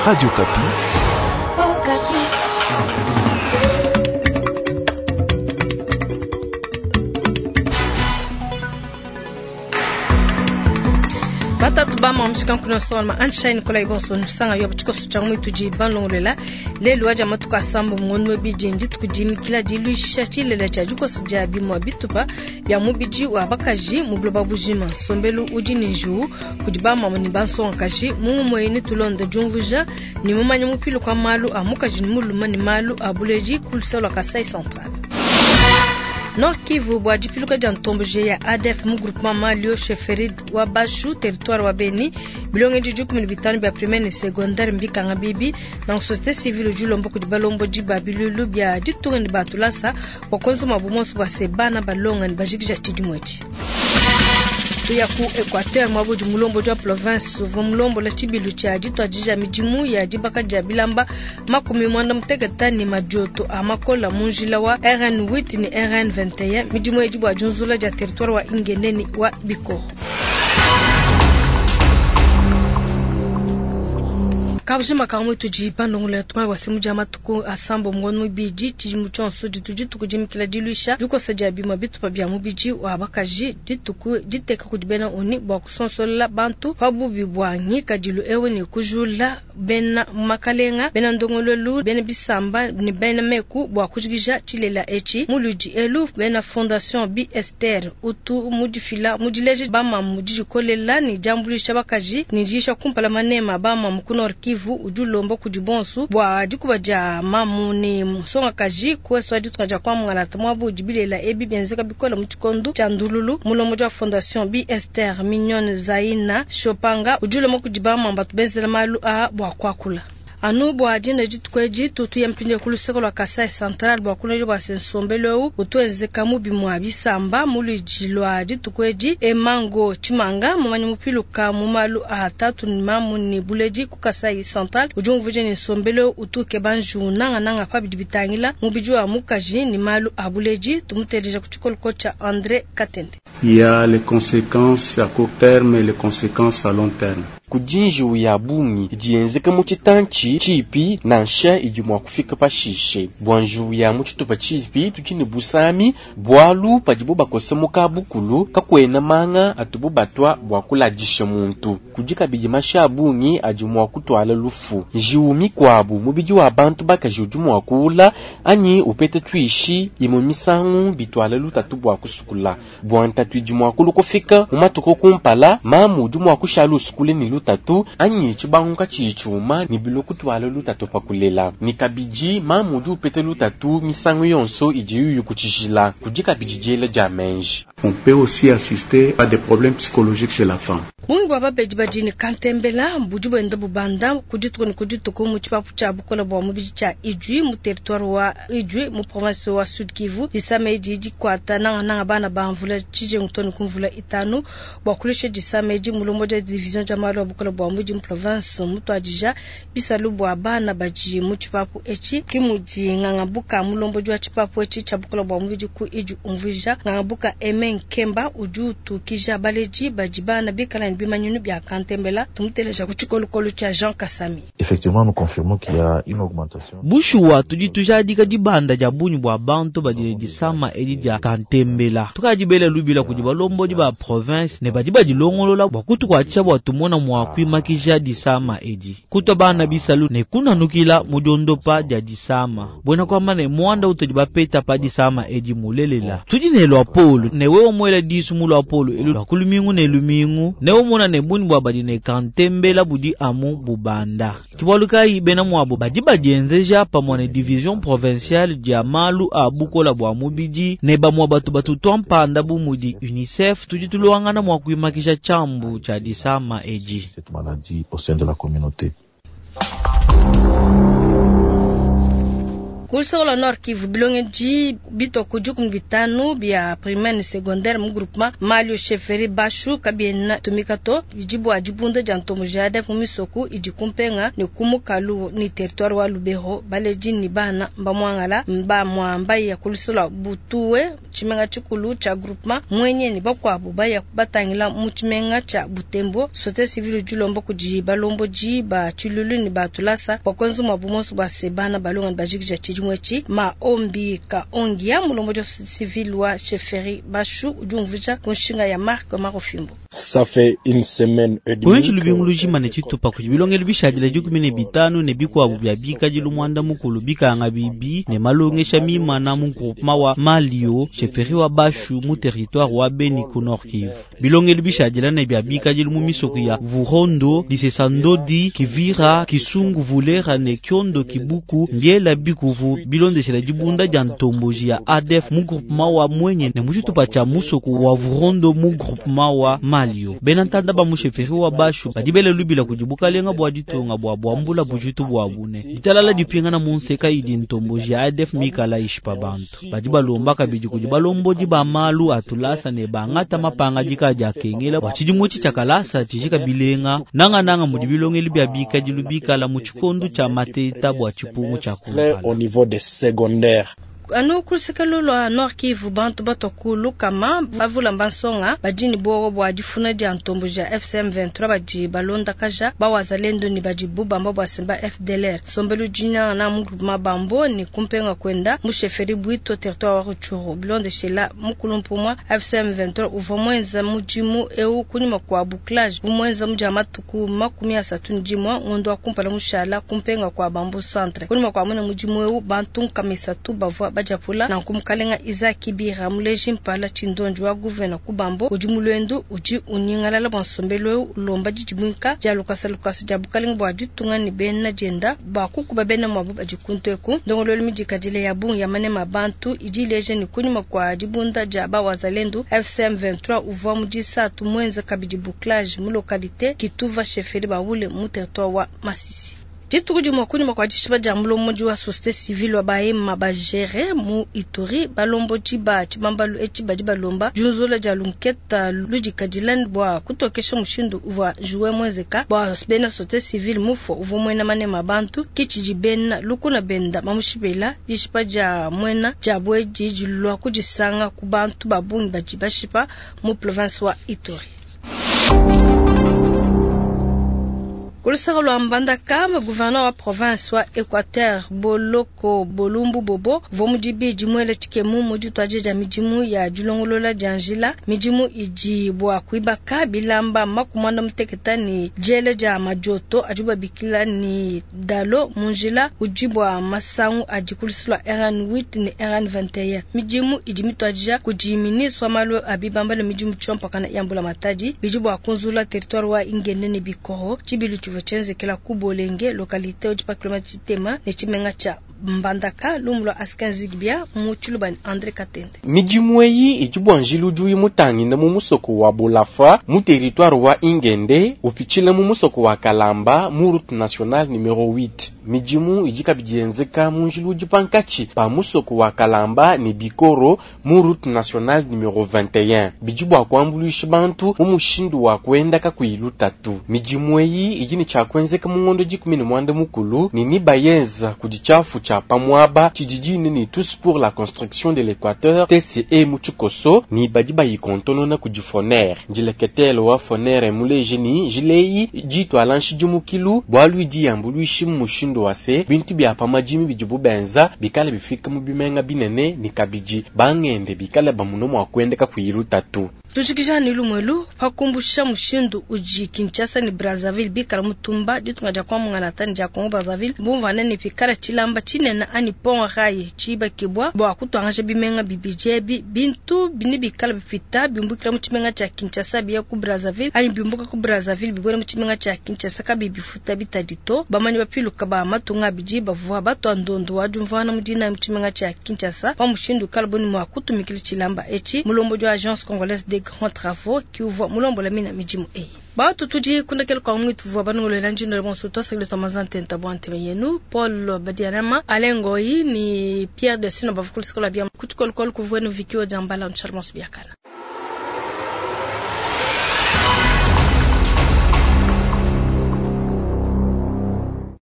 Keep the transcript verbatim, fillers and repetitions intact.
Radio Okapi. Okapi. Batatu ba mshika nkuna solma ansha Nicolas Ibonso nsanga yo chikoso cha mwitu ji banlongolela lelu aja matuka sambo ngono biji ndituku jimikila diluisha chilela cha jikoso ja bimwa bitupa bya mubiji wa bakaji mu buloba bujima sombelu udi ni nju kudi ba mama ni bansonga-kaji mumwe ni tulonda jumvuja ni mumanya mupilo kwa malu a mukaji ni muluma ni malu a buleji kulusalo Kasai Central. Nord Kivu bwa dipiluka dia ntomboje ya A D F mu groupement Malio chefferie wa Bashu territoire wa Beni bilonge di dikumi ne bitanu bia primaire ne secondaire mbikanga bibi na société civile julombo kudi balombo di babilulu bia ditunga ne batulasa bua kuenza mabu monso bua se bana balonga ne bajikija tshidimu etshi. Tuya ku Equateur mwabo di mulombo dia province uvua mulombola tshibilu tshia dituadija midimu ya dibaka dia bilamba makumi mwanda muteketa ne madioto a makola mu njila wa R N huit ne R N vingt et un midimu edi bua diunzula dia territoire wa Ingeneni wa Bikoro. Kabujima kamwe tudi bandongola tuma wa semu dia matuku asambo ngono bidi tshidimu tshionso ditu dituku dimikila diluisha dikosa dia bimwa bitupa bia mubidi wa bakaji dituku diteka kudi bena oni bua kusonsola bantu pa bubi bua ngikadilu ewu ne kujula bena makalenga bena ndongololu bena bisamba ne bena meku bua kujikija tshilela etshi muludi elu bena fondation B Esther utu mudifila mudileje bamamu didikolela ne diambuluisha bakaji ne diisha kumpala manema bamamu ku Nord Kivu udi ulomba kudi bonso bua dikuba dia mamu ne nsongakaji kueswa ditunga dia kuamungala mwabu dibilela ebi bienzeka bikola mu tshikondo tshia ndululu mulombo dia fondation B Esther Mignonne Zaina Chopanga udi ulomba kudi bamama batu benzela malu a bua kuakula. Anu bua dina dituku edi tutu ya mpindieu ku luseke lua Kasai Central bua kuleja bua se nsombelu eu utuenzeka mubi mua bisamba muludi lua dituku edi Emango Tshimanga mumanyi mupiluka mu malu a tatu ne mamu ne buledi ku Kasai Central udi umvuija ne nsombelu eu utu ukeba njiwu nangananga pa bidi bitangila mubidi wa mukaji ne malu a buledi. Tumuteleja ku tshikoloko tshia André Katende. Il y a les conséquences à court terme et les conséquences à long terme. Kudi njiwu ya bungi idi yenzeka mu tshitantshi tshipi nansha idi mua kufika pashishe. Bua njiwu ya mu tshitupa tshipi tudi ne busami bualu padibo bakosa mu kabukulu kakuena manga atubo batwa bua kuladisha muntu. Kudi kabidi mashi a bungi adi mua kutuala lufu. Njiwu mikuabu mubidi wa bantu bakaji udi mua kuula anyi upete tuishi imue misangu bituala lutatu bua kusukula. Bua ntatu idi mua kulukufika mu matuku kumpala mamu udi mua kushala usukule ne lutatu anyi tshibangu katshiyi tshiuma ne bilo kutuala lutatu pa kulela. Ne kabidi mamu udi upeta lutatu misangu yonso idi yuyu kutshijila. Kudi kabidi diela dia menji. On peut aussi assister à des problèmes psychologiques chez la femme. Bungi bua babedi badi ne kantembela budi buenda bubanda ku dituku ne ku dituku mu tshipapu tshia bukola bua mubidi tshia Idjwi mu territoire wa Idjwi mu province wa Sud Kivu. Disama edi dikuata nangananga bana ba mvula tshijengu to ne ku mvula itanu bua kulusha disama edi mulombo dia division dia malu a bukola bua mubidi mu province mutuadija bisalu bua bana badi mu tshipapu etshi. Ki mudi ngangabuka mulombo dia tshipapu etshi tshia bukola bua mubidi ku Idjwi umvuija ngangabuka Aimé Nkemba udi utukija baledi badi bana bikala ne bimanyinu bia kantembela. Tumuteleja ku tshikolokolo tshia Jean Kasami. Effectivement, nous confirmons qu'il y a une augmentation. Bushuwa tudi tujadika dibanda dia bungi bua bantu badi ne disama edi dia kantembela. Tukadibela lubila kudi balombodi ba province ne badi badilongolola bua kutukuatshisha bua tumona mua kuimakija disama edi. Kutwa bana bisalu ne kunanukila mu diondopa dia disama. Buena kuamba ne muanda utudi bapeta pa disama edi mulelela. Tudi ne lua polu ne wewe muela disu mu lua polu elu lua ku lumingu ne lumingu ne umona ne bungi bua badi ne kantembela budi amu bubanda. Kibualu kayi bena muabo badi badienzeja pamue ne division provinciale dia malu a bukola bua mubidi ne bamue batu batutua mpanda bu mudi UNICEF tudi tuluangana mua kuimakisha tshiambu tshia disama edi. Cette maladie au sein de la communauté. Ku luseke lua Nord Kivu, bilongedi bitue ku dikumi bitanu bia primaire ne secondaire mu groupement Malio chefferie Bashu kabiena tumika to, bidi bua dibunda dia ntomboji ya A D F mu misoko idi kumpenga ne ku mukalu ni territoire wa Lubero. Baledi ni bana mbamwangala mba mwamba ya ku luseke lua Butuwe tshimenga tshikulu tshia groupement Mwenye ni bakuabu baya batangila mu tshimenga tshia Butembo. Société civile dilomba kudi balomboji ba tshilulu ni batulasa bua kuenza muabu monso bua se bana balonga ne bajikija tshidimu etshi. Maombi Kaongia mulomboji wa société civile wa chefferie Bashu udi umvuija ku nshinga ya Marc Marofimbo. Ça fait une semaine et demie. Kuenji lubingu lujima ne tshitupa kudi bilongelu bishadile dikumi ne bitanu ne bikuabu bia bikadilu mwanda mukulu bikanga bibi ne malongesha mimana mu groupement wa Malio chefferie wa Bashu mu territoire wa Beni ku Nord Kivu. Bilongelu bishadile ne bia bikadilu mu misoko ya Vurondo, Lisesandodi, Kivira, Kisungu, Vulera ne Kyondo Kibuku mbiela bikuvu bilondeshela dibunda dia ntomboji ya A D F mu groupement wa Mwenye ne mu tshitupa tshia musoko wa Vurondo mu groupement wa Malio. Bena ntanda ba mu chefferie wa Bashu badi bele lubila kudi bukalenga bua ditunga bua buambula bujitu bua bune. Ditalala dipingana mu nseka idi ntomboji ya A D F mikala ishipa bantu. Badi balomba kabidi kudi balombodi ba malu atulasa ne bangata mapanga dika dia kengela bua tshidimu tshi tshia kalasa tshijika bilenga nanga nanga mudi bilongeli bia bikadilu bikala mu tshikondu tshia mateta bua tshipungu tshia kumpala. Au niveau des secondaires. Anu ku luseke lua Nord Kivu bantu batwa ku lukama bavula mbansonga badi ne buowa bua difuna dia ntomboji ya F C M vingt-trois badi balondakaja bawazalendo ne badi bubamba bua semba F D L R. Sombelu dina na mu groupement Bambo ne kumpenga kwenda mu chefferie Bwito territoire wa Rutshuru. Bilondeshela mukulu mpumwa F C M vingt-trois uvua mwenza mudimu eu kunyima kwa bouclage bumwenza mudia matuku makumi asatu ne dimue ngondo wa kumpala mushala kumpenga kwa Bambo centre. Kunyima kwa mwene mudimu eu bantu nkama isatu bavua bajapula na nkumukalenga Isaac Kibira muleji mpala tshindonji wa gouverneur ku Bambo udi mulwendu udi unyingalala bua nsombelu eu ulomba didimwika dia lukasa lukasa dia bukalenga bua ditunga ne bena dienda bua kukuba bena muabu badi kuntu eku. Ndongoluelu midikadile ya bungi ya manema bantu idi ileja ne kunyima kua dibunda dia bawazalendu F C M vingt-trois uvua mu disatu mwenza kabidi bouclage mu localité Kituva chefferie Baule mu territoire wa Masisi. Dituku dimue kunyima kua dishipa dia mulombodi wa société civile wa Bahema bagere mu Ituri balombodi ba tshibambalu etshi badi balomba diunzula dia lunketa ludikadila bua kutokesha mushindu uvua juwe mwezeka bua bena société civile mufo uvua muena manema bantu kitshidi bena lukuna benda bamushipela dishipa dia muena dia bwedi dilua kudisanga ku bantu ba bungi badi bashipa mu province wa Ituri. Ku luseke lua Mbandaka, gouverneur wa province wa Équateur Boloko Bolumbu Bobo uvua mu dibidi muele tshikemu mu dituadija dia midimu ya dilongolola dia njila. Midimu idi bua kuibaka bilamba makumi muanda mutekete ne diele dia madioto adi babikila ni dalo mu njila udi bua masangu adi ku luseke lua R N huit ne R N vingt et un. Midimu idi mituadija kudi ministre wa malu a bibamba ne midimu tshiompakana ya mbula matadi bidi bua kunzula territoire wa Ingende ne Bikoro tshibilu tshivua tshienzekela ku Bolenge localité udi pa kilomètre tshitema ne tshimenga tshia Mbandaka lumu lua Askin Zigbia mu Tshiluba ne André Katende. Midimu eyi idi bua njila udi mutangile mu musoko wa Bolafa mu territoire wa Ingende upitshila mu musoko wa Kalamba mu route nationale numero huit. Midimu idi kabidi yenzeka mu njila udi pankatshi pa musoko wa Kalamba ne Bikoro mu route nationale numero vingt et un. Bidi bua kuambuluisha bantu mu mushindu wa kuenda kakuyi lutatu. Midimu eyi idi ne tshia kuenzeka mu ngondo dikumi ne muanda mukulu ne nibayenza kudi tshiafu tshia pamuaba tshididine ne tous pour la construction de l'Équateur T C E mu tshikoso ni badi bayikontonona kudi Foner. Ndileketelo wa Foner muleje ni jileyi ditwala nshidimukilu bualu idi yambuluishi mu mushindu wa se bintu bia pamadimi bidibu benza bikale bifika mu bimenga binene ni kabidi bangende bikale bamuno mua kuenda kakuyi lutatu. Tujikija ni lumwelu pakumbusha mushindu uji Kinshasa ni Brazzaville bikala mutumba ditunga dia kwa mungala tani dia Congo Brazzaville bumvane ni pikala tshilamba tshinene ani pont rail tshibakibwa bua kutwangaja bimenga bibidi ebi bintu bini bikala bipita bimbukila mu tshimenga tshia Kinshasa biya ku Brazzaville ani bimbuka ku Brazzaville bibwela mu tshimenga tshia Kinshasa kabi bifuta bitadito bamanyi bapiluka ba matunga abidi bavua batua ndondu wa diumvuangana mu dinayi mu tshimenga tshia Kinshasa pa mushindu ukalabu ne mua kutumikila tshilamba etshi. Mulombodi wa Agence Congolaise des Grands Travaux ki uvua mulombola mina midimu eyi. Bantu tudi kundekela kwa mwitu vua banungulela njinda bonso twasakile twa mazantenta bwa nteme yenu Paul Badianama Alain Ngoyi ni Pierre Desino bavukulu sikola bia kuchikolokolo kuvuenu vikio jambala nchalmos biakana.